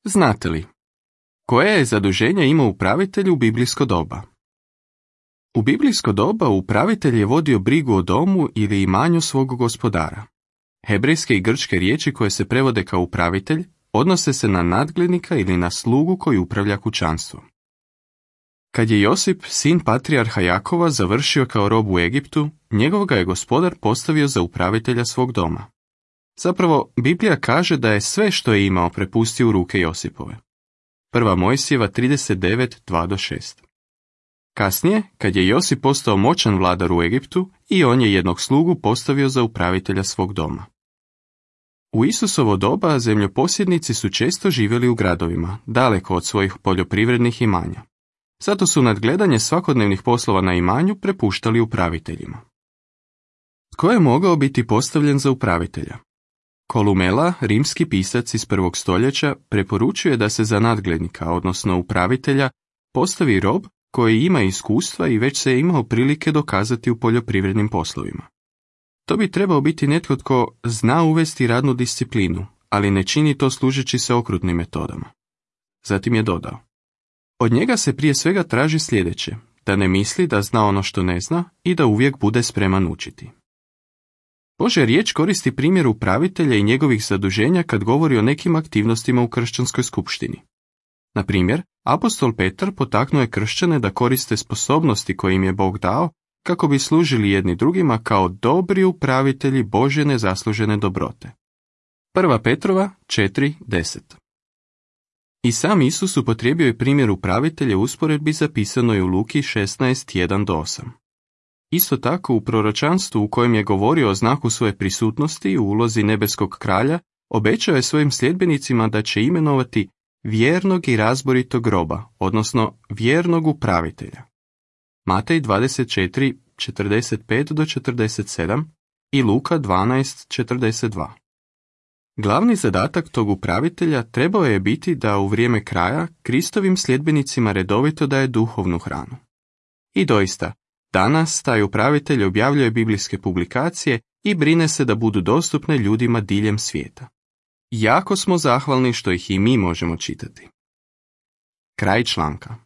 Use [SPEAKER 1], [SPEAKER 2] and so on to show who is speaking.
[SPEAKER 1] Znate li, koje je zaduženje imao upravitelj u biblijsko doba? U biblijsko doba upravitelj je vodio brigu o domu ili imanju svog gospodara. Hebrejske i grčke riječi koje se prevode kao upravitelj odnose se na nadglednika ili na slugu koji upravlja kućanstvom. Kad je Josip, sin patrijarha Jakova, završio kao rob u Egiptu, njegov ga je gospodar postavio za upravitelja svog doma. Zapravo, Biblija kaže da je sve što je imao prepustio u ruke Josipove. 1. Mojsijeva 39, 2-6. Kasnije, kad je Josip postao moćan vladar u Egiptu, i on je jednog slugu postavio za upravitelja svog doma. U Isusovo doba zemljoposjednici su često živjeli u gradovima, daleko od svojih poljoprivrednih imanja. Zato su nadgledanje svakodnevnih poslova na imanju prepuštali upraviteljima. Tko je mogao biti postavljen za upravitelja? Kolumela, rimski pisac iz 1. stoljeća, preporučuje da se za nadglednika, odnosno upravitelja, postavi rob koji ima iskustva i već se je imao prilike dokazati u poljoprivrednim poslovima. To bi trebao biti netko tko zna uvesti radnu disciplinu, ali ne čini to služeći se okrutnim metodama. Zatim je dodao: od njega se prije svega traži sljedeće, da ne misli da zna ono što ne zna i da uvijek bude spreman učiti. Božja riječ koristi primjer upravitelja i njegovih zaduženja kad govori o nekim aktivnostima u kršćanskoj skupštini. Na primjer, apostol Petar potaknuo je kršćane da koriste sposobnosti koje im je Bog dao kako bi služili jedni drugima kao dobri upravitelji Božje nezaslužene dobrote. 1. Petrova 4:10. I sam Isus upotrijebio je primjer upravitelja u usporedbi zapisanoj u Luki 16:1-8. Isto tako u proročanstvu u kojem je govorio o znaku svoje prisutnosti u ulozi nebeskog kralja, obećao je svojim sljedbenicima da će imenovati vjernog i razboritog roba, odnosno vjernog upravitelja. Matej 24:45-47 i Luka 12:42. Glavni zadatak tog upravitelja trebao je biti da u vrijeme kraja Kristovim sljedbenicima redovito daje duhovnu hranu. I doista, danas taj upravitelj objavljuje biblijske publikacije i brine se da budu dostupne ljudima diljem svijeta. Jako smo zahvalni što ih i mi možemo čitati. Kraj članka.